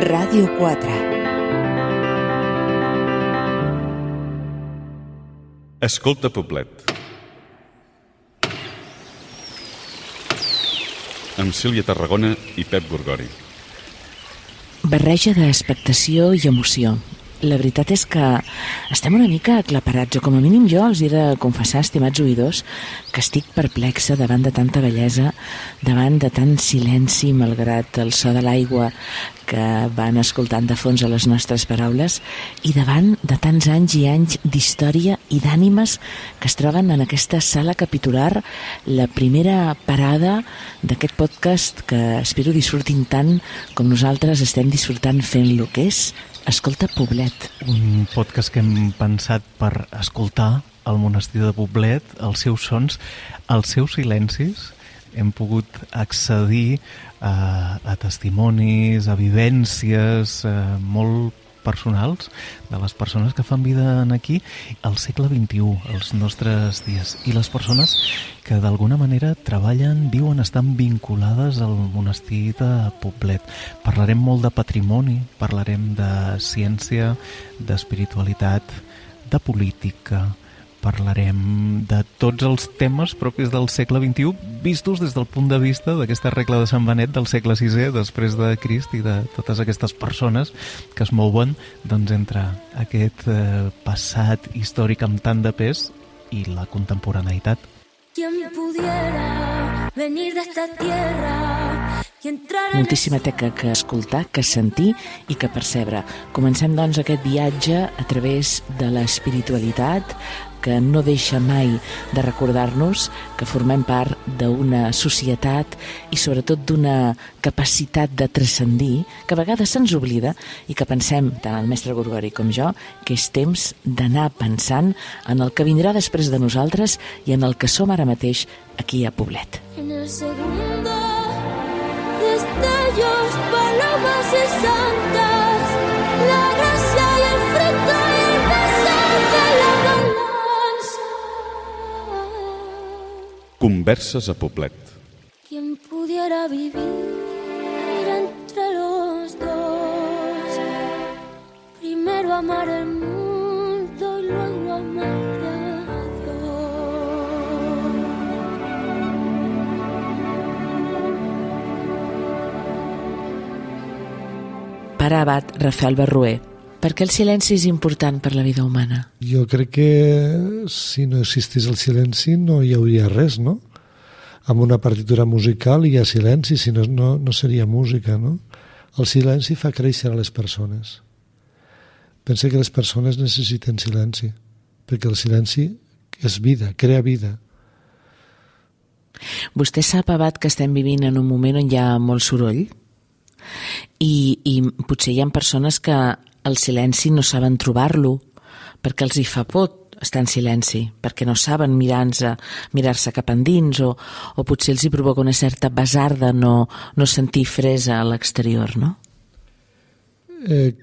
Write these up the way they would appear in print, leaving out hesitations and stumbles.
Ràdio 4. Escolta Poblet. Amb Sílvia Tarragona i Pep Gorgori. Barreja d'expectació i emoció. La veritat és que estem una mica aclaparats, o com a mínim jo els he de confessar, estimats oïdors, que estic perplexa davant de tanta bellesa, davant de tant silenci, malgrat el so de l'aigua que van escoltant de fons a les nostres paraules, i davant de tants anys i anys d'història i d'ànimes que es troben en aquesta sala capitular, la primera parada d'aquest podcast que espero disfrutin tant com nosaltres estem disfrutant fent-lo, que és Escolta Poblet. Un podcast que hem pensat per escoltar el monestir de Poblet, els seus sons, els seus silencis. Hem pogut accedir a testimonis, a vivències molt personals de les persones que fan vida aquí al segle XXI, als nostres dies. I les persones que d'alguna manera treballen, viuen, estan vinculades al monestir de Poblet. Parlarem molt de patrimoni, parlarem de ciència, d'espiritualitat, de política, parlarem de tots els temes propis del segle XXI, vistos des del punt de vista d'aquesta regla de Sant Benet del segle VI, després de Crist, i de totes aquestes persones que es mouen entre aquest passat històric amb tant de pes i la contemporaneïtat. Moltíssima teca que escoltar, que sentir i que percebre. Comencem, doncs, aquest viatge a través de l'espiritualitat que no deixa mai de recordar-nos que formem part d'una societat i sobretot d'una capacitat de transcendir que a vegades se'ns oblida i que pensem, tant el mestre Gorgori com jo, que és temps d'anar pensant en el que vindrà després de nosaltres i en el que som ara mateix aquí a Poblet. En el segundo, destellos, palomas y santas, la gracia y el fruto y el pasaje, la balanza. Converses a Poblet. Quien pudiera vivir entre los dos, primero amar el mundo y luego amar a Dios. Pare abat Rafael Barrué, per què el silenci és important per la vida humana? Jo crec que si no existís el silenci no hi hauria res, no? Amb una partitura musical hi ha silenci, si no, no seria música, no? El silenci fa créixer a les persones. Pensa que les persones necessiten silenci, perquè el silenci és vida, crea vida. Vostè sap, abat, que estem vivint en un moment on hi ha molt soroll? I potser hi ha persones que el silenci no saben trobar-lo, perquè els hi fa por estar en silenci, perquè no saben mirar-se cap endins, o potser els hi provoca una certa basarda no sentir fresa a l'exterior, no?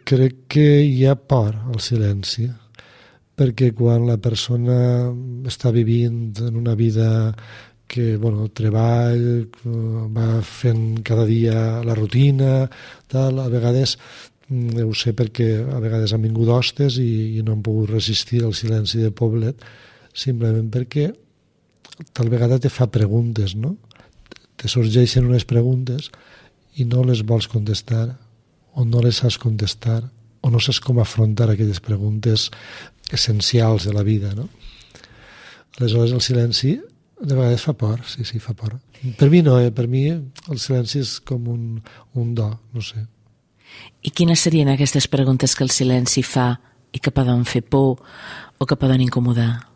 Crec que hi ha por al silenci, perquè quan la persona està vivint en una vida que, treball, va fent cada dia la rutina, tal, a vegades ho sé perquè a vegades han vingut hostes i no han pogut resistir al silenci de Poblet, simplement perquè tal vegada te fa preguntes, no? Te sorgeixen unes preguntes i no les vols contestar, o no les saps contestar, o no saps com afrontar aquelles preguntes essencials de la vida, no? Aleshores el silenci de vegades fa por, sí, fa por. Per mi no, per mi el silenci és com un do, no sé. I quines serien aquestes preguntes que el silenci fa i que poden fer por o que poden incomodar?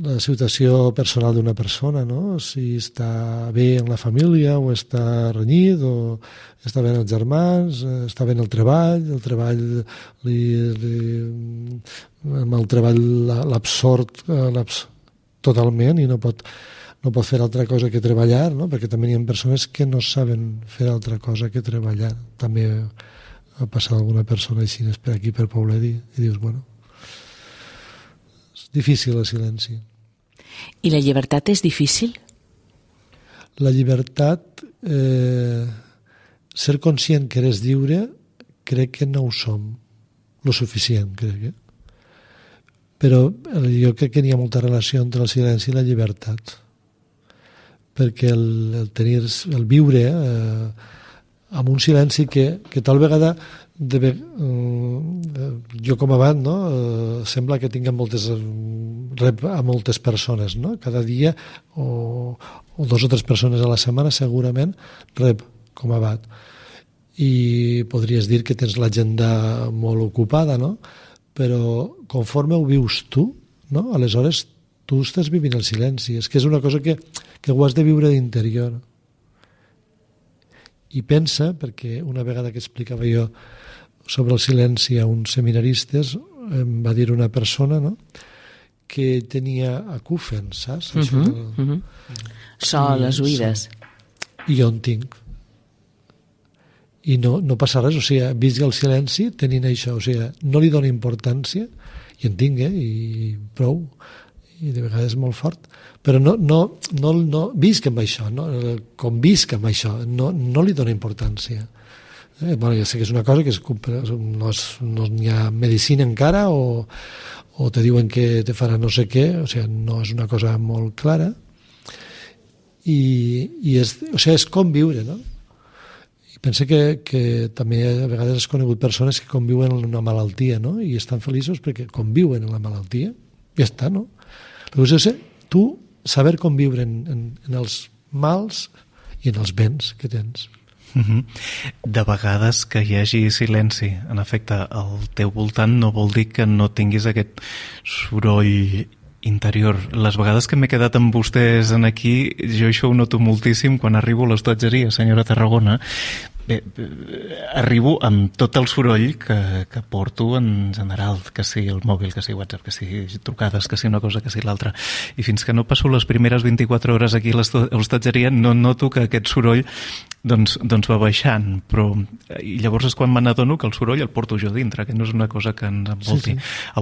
La situació personal d'una persona, no? Si està bé en la família o està renyit o està bé els germans, està bé el treball amb el treball l'absort totalment i no pot fer altra cosa que treballar, no? Perquè també hi ha persones que no saben fer altra cosa que treballar. També ha passat alguna persona així per aquí, per Poblet, i dius, és difícil el silenci. I la llibertat és difícil? La llibertat, ser conscient que eres lliure, crec que no ho som lo suficient, crec. Però jo crec que hi ha molta relació entre el silenci i la llibertat, perquè el viure amb un silenci que tal vegada jo com abans, no? Sembla que tinc rep a moltes persones, no? Cada dia o 2 o 3 persones a la setmana segurament rep com abat, i podries dir que tens l'agenda molt ocupada, no? Però conforme ho vius tu, no? Aleshores tu estàs vivint el silenci. És que és una cosa que ho has de viure d'interior. I pensa, perquè una vegada que explicava jo sobre el silenci a uns seminaristes, em va dir una persona, no?, que tenia acúfen, saps? So a les oïdes. I jo en tinc. I no passa res, o sigui, visc el silenci tenint això, o sigui, no li dono importància, i en tinc, i prou, i de vegades molt fort, però no visc amb això, no? Com visc amb això, no li dono importància. Bueno, ja sé que és una cosa que no hi ha medicina encara, o te diuen que te farà no sé què, o sigui, no és una cosa molt clara, i és com viure, no? I penso que també a vegades has conegut persones que conviuen en una malaltia, no? I estan feliços perquè conviuen en la malaltia, i ja està, no? Però tu saber conviure en els mals i en els béns que tens. De vegades que hi hagi silenci, en efecte, al teu voltant no vol dir que no tinguis aquest soroll interior. Les vegades que m'he quedat amb vostès en aquí, jo això ho noto moltíssim quan arribo a l'hostatgeria, senyora Tarragona. Bé, arribo amb tot el soroll que porto en general, que sigui el mòbil, que sigui WhatsApp, que sigui trucades, que sigui una cosa, que sigui l'altra. I fins que no passo les primeres 24 hores aquí a l'hostatgeria no noto que aquest soroll doncs va baixant, però i llavors és quan me n'adono que el soroll el porto jo dintre, que no és una cosa que ens envolti. Sí. A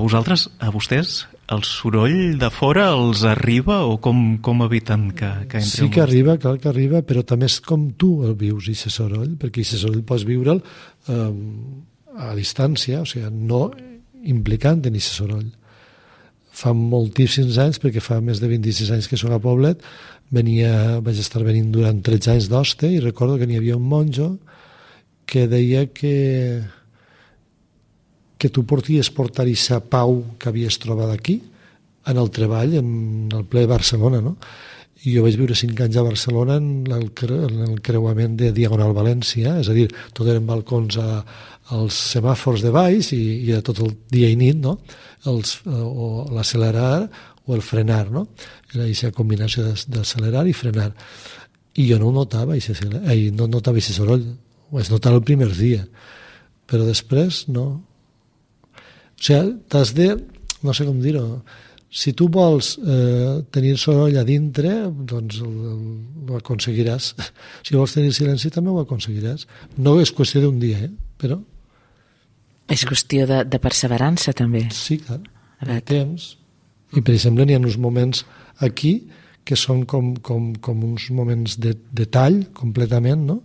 vostès, el soroll de fora els arriba o com eviten que entri? Sí que arriba, clar que arriba, però també és com tu el vius, aquest soroll, perquè aquest soroll pots viure'l a distància, o sigui, no implicant en aquest soroll. Fa moltíssims anys, perquè fa més de 26 anys que soc a Poblet, vaig estar venint durant 13 anys d'hoste, i recordo que n'hi havia un monjo que deia que tu porties portar aquesta pau que havies trobat aquí en el treball, en el ple de Barcelona, no? I jo vaig viure 5 anys a Barcelona en el creuament de Diagonal València, és a dir, tot eren balcons als semàfors de baix i era tot el dia i nit, no? O l'accelerar o el frenar, no? Era aquesta combinació d'accelerar i frenar. I jo no ho notava, no notava aquest soroll, ho vaig notar el primer dia, però després no. O sigui, t'has de, no sé com dir-ho, si tu vols tenir soroll a dintre, doncs ho aconseguiràs. Si vols tenir silenci també ho aconseguiràs. No és qüestió d'un dia, però... És qüestió de perseverança també. Sí, clar, de temps. I per exemple n'hi ha uns moments aquí que són com uns moments de tall completament, no?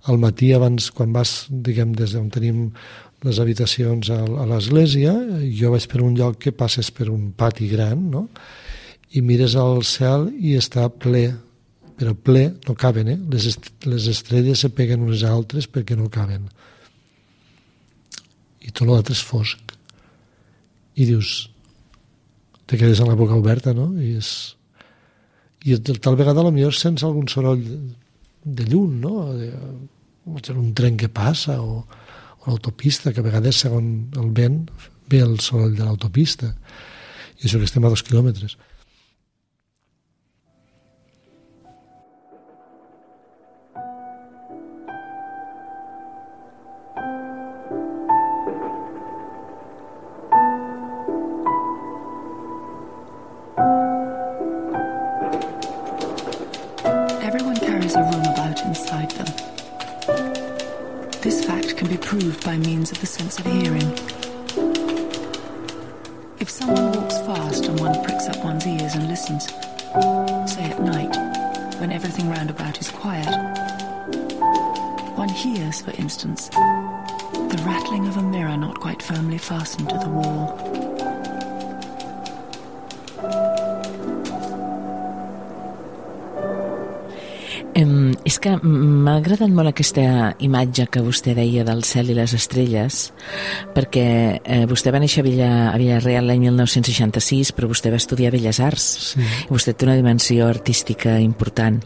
Al matí abans, quan vas, diguem, des d'on tenim les habitacions a l'església, jo vaig per un lloc que passes per un pati gran, no? I mires al cel i està ple, però ple, no caben, les estrelles se peguen unes a altres perquè no caben. I tot l'altre és fosc. I dius, te quedes amb la boca oberta, no? I tal vegada potser sents algun soroll de llum, no? Un tren que passa o l'autopista, que a vegades, segons el vent, ve el soroll de l'autopista. I això que estem a 2 quilòmetres. Everyone carries a room about inside them. This fact can be proved by means of the sense of hearing. If someone walks fast and one pricks up one's ears and listens, say at night, when everything round about is quiet, one hears, for instance, The rattling of a mirror not quite firmly fastened to the wall. És que m'ha agradat molt aquesta imatge que vostè deia del cel i les estrelles, perquè vostè va néixer a Villarreal l'any 1966, però vostè va estudiar Belles Arts. Sí. I vostè té una dimensió artística important.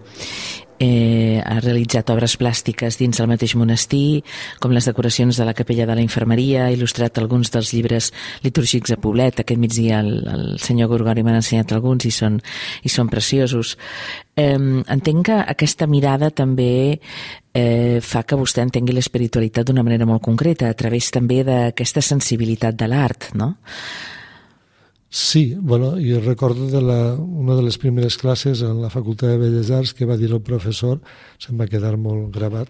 Ha realitzat obres plàstiques dins el mateix monestir, com les decoracions de la capella de la infermeria, ha il·lustrat alguns dels llibres litúrgics a Poblet. Aquest migdia el senyor Gorgori m'ha ensenyat alguns i són preciosos. Entenc que aquesta mirada també fa que vostè entengui l'espiritualitat d'una manera molt concreta, a través també d'aquesta sensibilitat de l'art, no? Sí, bueno, jo recordo una de les primeres classes en la Facultat de Belles Arts que va dir el professor, se'm va quedar molt gravat,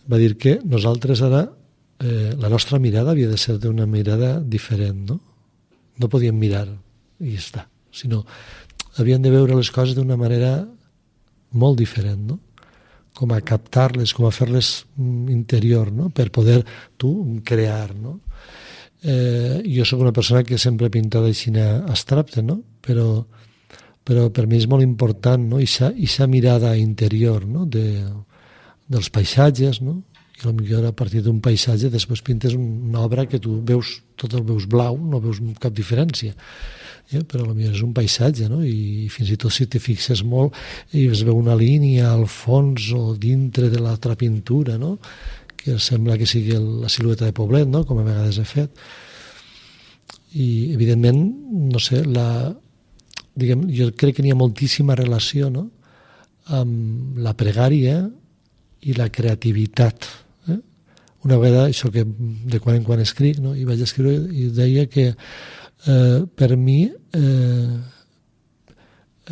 va dir que nosaltres ara, la nostra mirada havia de ser d'una mirada diferent, no? No podíem mirar i ja està, sinó havien de veure les coses d'una manera molt diferent, no? Com a captar-les, com a fer-les interior, no? Per poder tu crear, no? Jo sóc una persona que sempre he pintat així abstracte, no? Però per mi és molt important, no? Ixa mirada interior, no? Dels paisatges, no? I potser a partir d'un paisatge després pintes una obra que tu veus, tot el veus blau, no veus cap diferència. Però potser és un paisatge, no? I fins i tot si te fixes molt i es veu una línia al fons o dintre de l'altra pintura, no? Que sembla que sigui la silueta de Poblet, no? Com a vegades he fet. I, evidentment, no sé, jo crec que n'hi ha moltíssima relació, no? Amb la pregària i la creativitat. Una vegada, això que de quan en quan escric, no? I vaig escriure i deia que per mi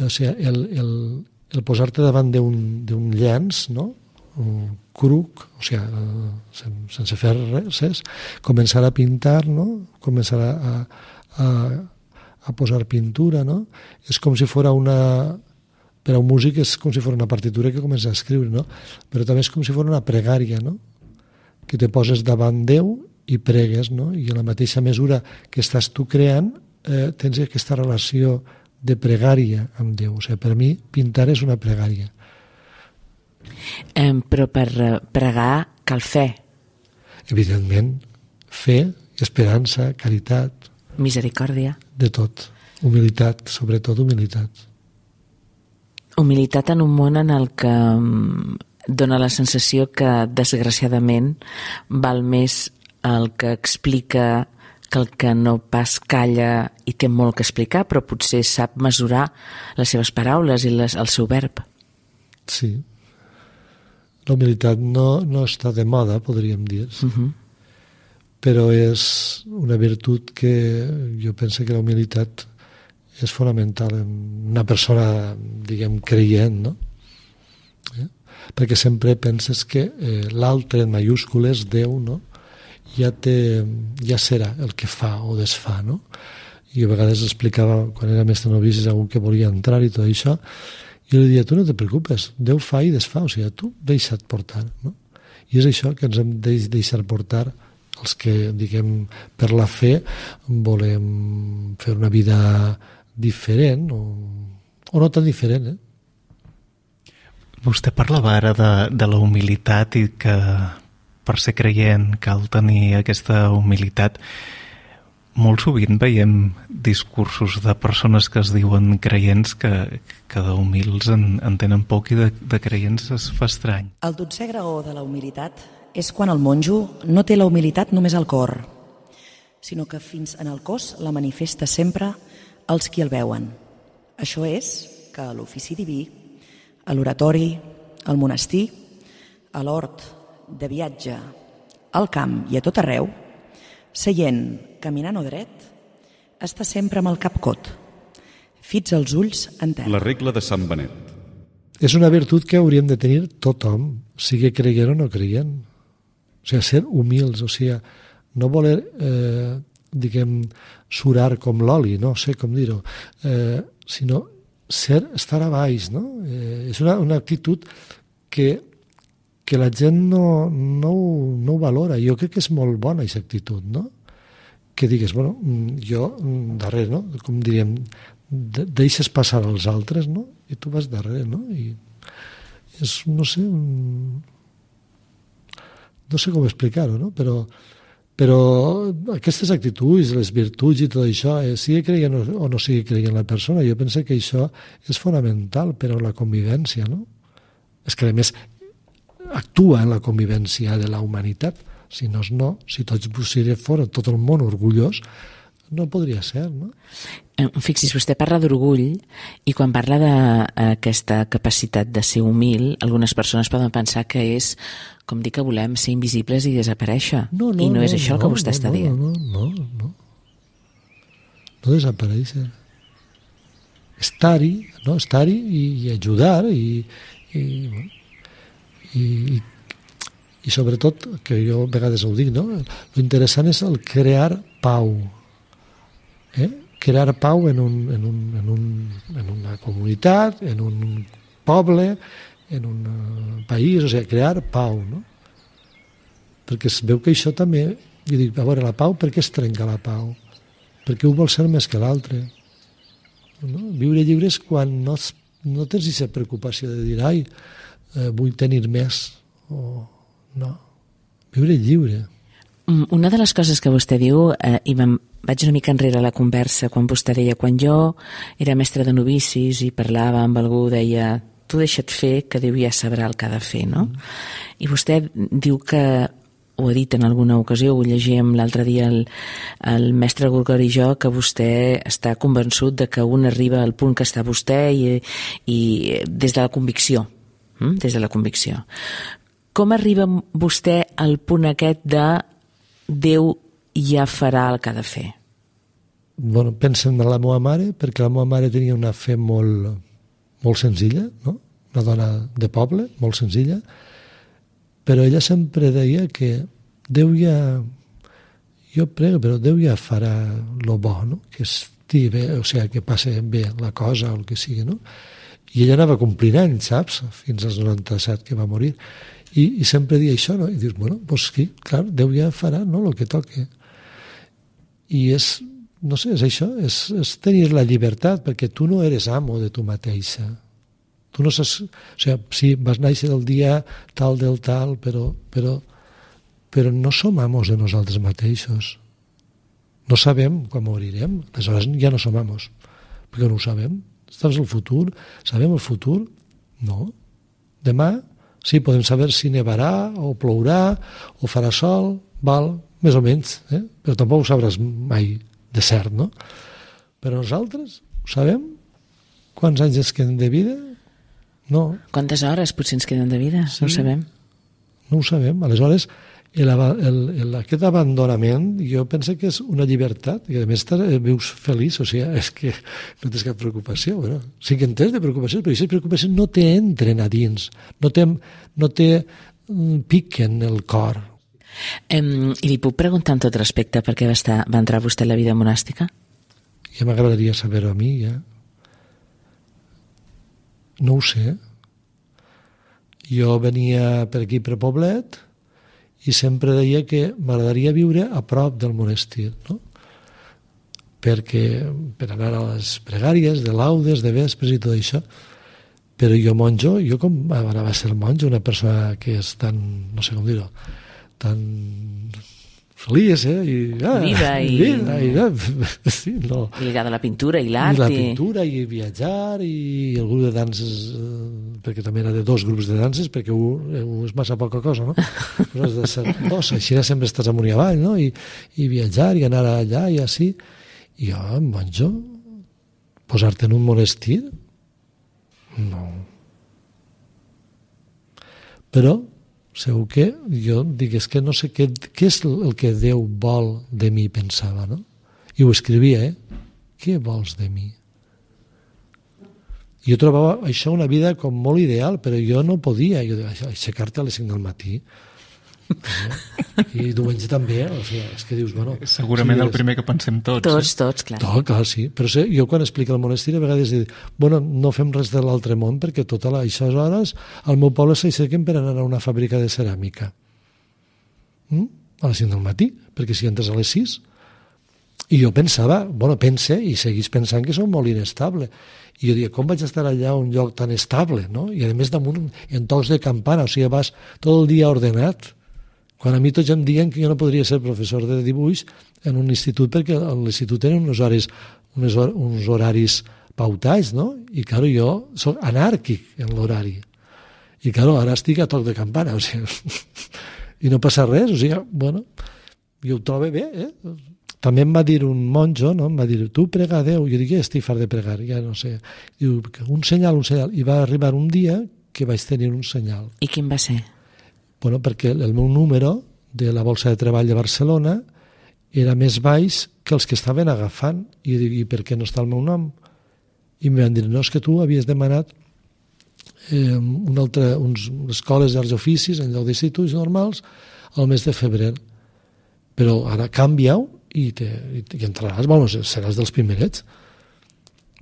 el posar-te davant d'un llenç, no? Un cruc, o sigui, sense fer res, començar a pintar, no? Començar a posar pintura, no? És com si fos per a un músic és com si fos una partitura que comença a escriure, no? Però també és com si fos una pregària, no? Que te poses davant Déu i pregues, no? I a la mateixa mesura que estàs tu creant, tens aquesta relació de pregària amb Déu. O sigui, per mi, pintar és una pregària. Però per pregar cal fe. Evidentment, fe, esperança, caritat. Misericòrdia. De tot. Humilitat, sobretot humilitat. Humilitat en un món en el que dona la sensació que, desgraciadament, val més el que explica que el que no pas calla i té molt que explicar, però potser sap mesurar les seves paraules i el seu verb. Sí. La humilitat no està de moda, podríem dir. Però és una virtut que jo penso que la humilitat és fonamental en una persona, diguem, creient, no? Perquè sempre penses que l'altre en mayúscules, Déu, no? Ja serà el que fa o desfà, no? I a vegades explicava, quan era mestre novici, a algú que volia entrar i tot això, i li deia, tu no te preocupes, Déu fa i desfà, o sigui, tu deixa't portar, no? I és això que ens hem de deixar portar els que, diguem, per la fe volem fer una vida diferent o no tan diferent, Vostè parlava ara de la humilitat i que per ser creient cal tenir aquesta humilitat. Molt sovint veiem discursos de persones que es diuen creients que d'humils en tenen poc i de creients es fa estrany. El 12è graó de la humilitat és quan el monjo no té la humilitat només al cor, sinó que fins en el cos la manifesta sempre als qui el veuen. Això és que a l'ofici diví, a l'oratori, al monestir, a l'hort, de viatge, al camp i a tot arreu, seient, caminant o dret, està sempre amb el cap cot, fits els ulls en terra. La regla de Sant Benet. És una virtut que hauríem de tenir tothom, sigui creient o no creient. O sigui, ser humils, o sigui, no voler, diguem, surar com l'oli, no sé com dir-ho, sinó estar a baix, no? És una actitud que que la gent no ho valora. Jo crec que és molt bona aquesta actitud, no? Que digues, bueno, jo darrere, no? Com diríem, deixes passar els altres, no? I tu vas darrere, no? I és, no sé, no sé com explicar-ho, no? Però aquestes actituds, les virtuts i tot això, sigui creient o no sigui creient la persona, jo penso que això és fonamental per a la convivència, no? És que, a més, actua en la convivència de la humanitat. Si tots fora tot el món orgullós, no podria ser, no? Fixis, vostè parla d'orgull i quan parla d'aquesta capacitat de ser humil, algunes persones poden pensar que és, com dir que volem, ser invisibles i desaparèixer. I no és això el que vostè està dient. No. No desaparèixer. Estar-hi, no? Estar-hi i ajudar i sobretot, que jo a vegades ho dic, no? L'interessant és el crear pau. Crear pau en una comunitat, en un poble, en un país, o sigui, crear pau, no? Perquè es veu que això també, jo dic, a veure, la pau, per què es trenca la pau? Perquè un vol ser més que l'altre. No? Viure lliure és quan no tens aquesta preocupació de dir, ai, vull tenir més, o no. Viure lliure. Una de les coses que vostè diu, i vaig una mica enrere la conversa, quan vostè deia, quan jo era mestre de novicis i parlava amb algú, deia, tu deixa't fer, que Déu ja sabrà el que ha de fer, no? I vostè diu que, ho ha dit en alguna ocasió, ho llegíem l'altre dia el mestre Gorgori i jo, que vostè està convençut de que un arriba al punt que està vostè i des de la convicció. Des de la convicció. Com arriba vostè al punt aquest de Déu ja farà el que ha de fer? Bueno, pensen en la meva mare, perquè la meva mare tenia una fe molt senzilla, no? Una dona de poble, molt senzilla, però ella sempre deia que Déu ja... Jo prego, però Déu ja farà lo bo, no? Que estigui bé, o sigui, que passi bé la cosa o el que sigui, no? I ella anava complint anys, saps? Fins als 97 que va morir. I sempre dia això, no? I dius, bueno, doncs sí, clar, Déu ja farà, no?, el que toque. I és, no sé, és això, és tenir la llibertat, perquè tu no eres amo de tu mateixa. Tu no saps... O sigui, sí, vas néixer el dia tal del tal, però no som amos de nosaltres mateixos. No sabem quan morirem, aleshores ja no som amos, perquè no ho sabem. Saps el futur? Sabem el futur? No. Demà, sí, podem saber si nevarà, o plourà, o farà sol, val, més o menys, però tampoc ho sabràs mai de cert, no? Però nosaltres ho sabem? Quants anys ens queden de vida? No. Quantes hores potser ens queden de vida? Sí. No ho sabem. No ho sabem. Aleshores, aquest abandonament jo penso que és una llibertat i a més vius feliç, o sigui, és que no tens cap preocupació, però sí que en tens de preocupacions, però aquestes preocupacions no t'entren a dins, no te piquen el cor. I li puc preguntar en tot respecte per què va entrar vostè en la vida monàstica? Ja m'agradaria saber-ho a mi, ja. No ho sé. Jo venia per aquí, per Poblet, i sempre deia que m'agradaria viure a prop del monestir, no? Per anar a les pregàries, de laudes, de vespres i tot això. Però jo monjo, jo com anava a ser monjo, una persona que és tan, no sé com dir-ho, tan feliç, Viva sí, no. I lligada a la pintura i l'art. I la pintura i viatjar i el grup de danses, perquè també era de 2 grups de danses, perquè un és massa poca cosa, no? Però has de ser 2, així sempre estàs amunt i avall, no? I viatjar i anar allà i així. I jo, monjo, posar-te en un monestir? No. Però segur que jo dic, és que no sé què és el que Déu vol de mi, pensava, no? I ho escrivia, Què vols de mi? Jo trobava això una vida com molt ideal, però jo no podia. Jo deia, aixecar-te a les 5 del matí. I diumenge també, o sigui, és que dius, bueno... Segurament el primer que pensem tots. Tots, clar. Clar, sí. Però jo quan explico el monestir a vegades dic, bueno, no fem res de l'altre món perquè això hores al meu poble s'aixequen per anar a una fàbrica de ceràmica. A les 5 del matí, perquè si entres a les 6. I jo pensava, pense i seguís pensant que som molt inestable. I jo diria, com vaig estar allà a un lloc tan estable, no? I a més damunt en tocs de campana, o sigui, vas tot el dia ordenat. Quan a mi tots em diuen que jo no podria ser professor de dibuix en un institut perquè a l'institut tenen uns horaris pautats, no? I, clar, jo soc anàrquic en l'horari. I, clar, ara estic a toc de campana, o sigui, i no passa res, o sigui, bueno, jo ho trobo bé, També em va dir un monjo, no? Em va dir, tu prega a Déu. Jo dic, estic fart de pregar, ja no sé. Diu, un senyal. I va arribar un dia que vaig tenir un senyal. I quin va ser? Bueno, perquè el meu número de la Bolsa de Treball de Barcelona era més baix que els que estaven agafant. I jo dic, i per què no està el meu nom? I em van dir, no, és que tu havies demanat unes escoles d'arts i oficis en lloc d'instituts normals al mes de febrer. Però ara canvia-ho i entraràs, seràs dels primerets.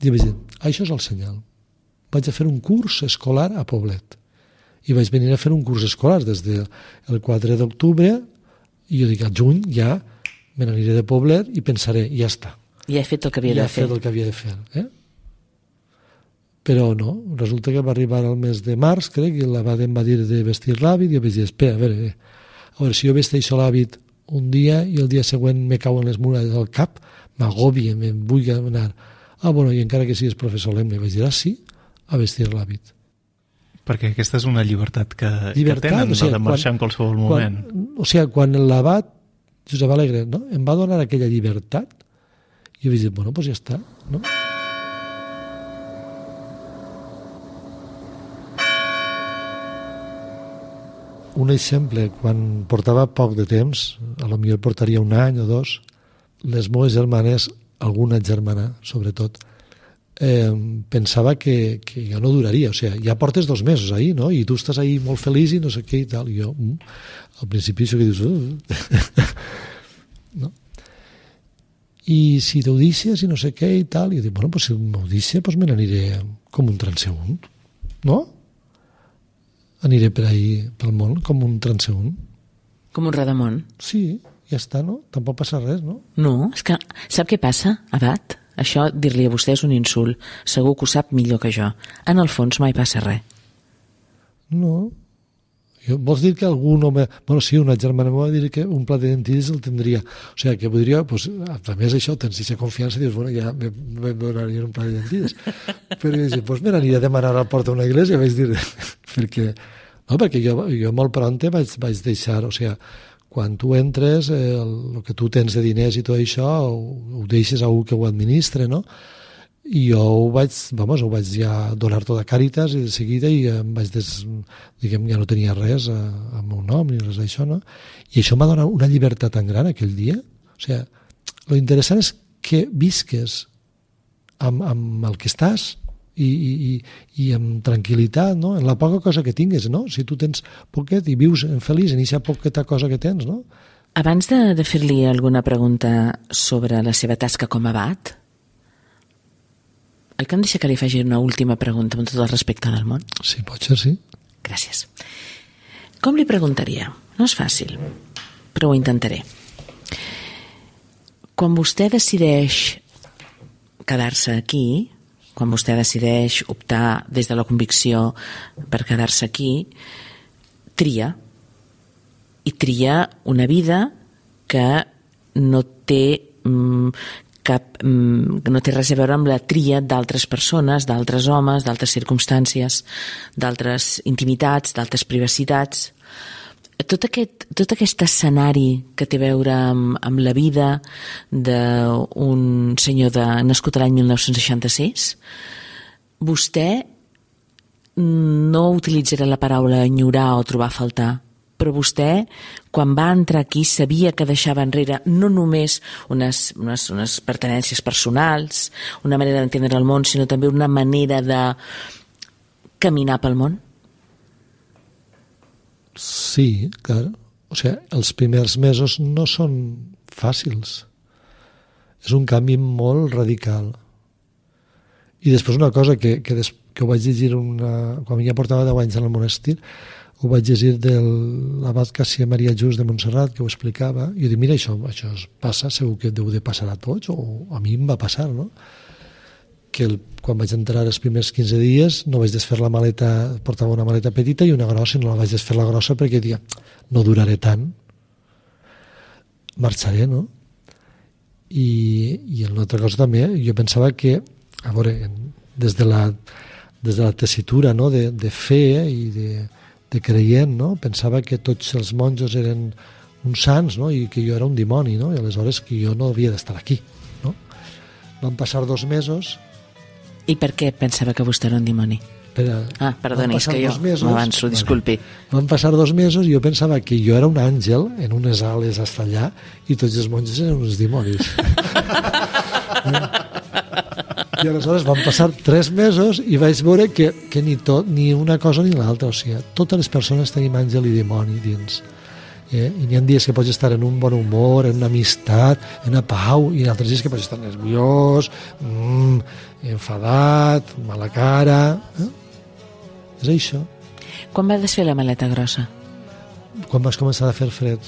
I vaig dir, això és el senyal. Vaig a fer un curs escolar a Poblet. I vaig venir a fer un curs escolar des del 4 d'octubre i jo dic, a juny ja me n'aniré de Poblet i pensaré, ja està. Ja he fet el que havia de fer. Ja he fet el que havia de fer. Però no, resulta que va arribar al mes de març, crec, i l'Abaden va dir de vestir l'hàbit i jo vaig dir, espera, a veure, si jo vesteixo l'hàbit un dia i el dia següent me cauen les muralles al cap, m'agòbia, me'n vull anar. Bueno, i encara que siguis professor solemne, vaig dir, sí, a vestir l'hàbit. Perquè aquesta és una llibertat que tenen, o sigui, de marxar en qualsevol moment. Quan l'abat, Josep Alegre, no? Em va donar aquella llibertat, i jo vaig dir, bueno, doncs ja està, no? Un exemple, quan portava poc de temps, a lo millor portaria un any o dos, les meves germanes, alguna germana, sobretot, pensava que jo no duraria, o sigui, ja portes 2 mesos ahí, no? I tu estàs ahí molt feliç i no sé què i tal, i jo, al principi això que dius, no? I si t'ho deixes i no sé què i tal, i jo dic, bueno, pues si m'ho deixes, pues me n'aniré com un transeünt, no? Aniré per ahí, pel món, com un transeünt. Com un Radamont? Sí, ja està, no? Tampoc passa res, no? No, és que sap què passa, Abat? Això, dir-li a vostè és un insult. Segur que ho sap millor que jo. En el fons mai passa res. No. Vols dir que algú no... Bueno, sí, una germana m'ho va dir que un plat de dentilles el tindria. O sigui, que podria, pues, a més això, tens aquesta confiança i dius, bueno, ja me donaria un plat de dentilles. Però jo dic, pues me n'aniria a demanar a la porta d'una església, vaig dir, perquè jo molt pront vaig deixar, o sigui, quan tu entres, el que tu tens de diners i tot això, ho deixes a algú que ho administre, no? I jo ho vaig ja donar tot a Càritas i de seguida i em vaig diguem, ja no tenia res al meu nom ni res d'això, no? I això m'ha donat una llibertat tan gran aquell dia. O sigui, lo interessant és que visques amb el que estàs i amb tranquil·litat, no? En la poca cosa que tingues, no? Si tu tens poquet i vius feliç en aquesta poqueta cosa que tens, no? Abans de fer-li alguna pregunta sobre la seva tasca com a abat, oi que em deixa que li faci una última pregunta amb tot el respecte del món? Sí, pot ser, sí. Gràcies. Com li preguntaria? No és fàcil, però ho intentaré. Quan vostè decideix quedar-se aquí, quan vostè decideix optar des de la convicció per quedar-se aquí, tria. I tria una vida que no té no té res a veure amb la tria d'altres persones, d'altres homes, d'altres circumstàncies, d'altres intimitats, d'altres privacitats. Tot aquest escenari que té a veure amb la vida d'un senyor nascut a l'any 1966, vostè no utilitzarà la paraula enyorar o trobar a faltar, però vostè, quan va entrar aquí, sabia que deixava enrere no només unes pertenències personals, una manera d'entendre el món, sinó també una manera de caminar pel món? Sí, clar. O sigui, els primers mesos no són fàcils. És un canvi molt radical. I després una cosa que ho vaig llegir quan ja portava 10 anys en el monestir, ho vaig llegir de l'abat Cassià Maria Just de Montserrat, que ho explicava, i jo dic, mira, això es passa, segur que deu de passar a tots, o a mi em va passar, no? Que quan vaig entrar els primers 15 dies no vaig desfer la maleta, portava una maleta petita i una grossa, i no la vaig desfer la grossa perquè diia, no duraré tant, marxaré, no? I una altra cosa també, jo pensava que, a veure, des de la tessitura, no? de fe i de creient, no? Pensava que tots els monjos eren uns sants, no? I que jo era un dimoni, no? I aleshores que jo no havia d'estar aquí, no? Van passar 2 mesos. I per què pensava que vostè era un dimoni? Perdoni, és que jo m'avanço, disculpi. Van passar 2 mesos i jo pensava que jo era un àngel en unes ales hasta allà i tots els monjos eren uns dimonis. I aleshores van passar 3 mesos i vaig veure que ni una cosa ni l'altra, o sigui, totes les persones tenim àngel i dimoni dins. I n'hi ha dies que pots estar en un bon humor, en una amistat, en una pau, i en altres dies que pots estar nerviós, enfadat, mala cara. És això. Quan va desfer la maleta grossa? Quan vas començar a fer fred.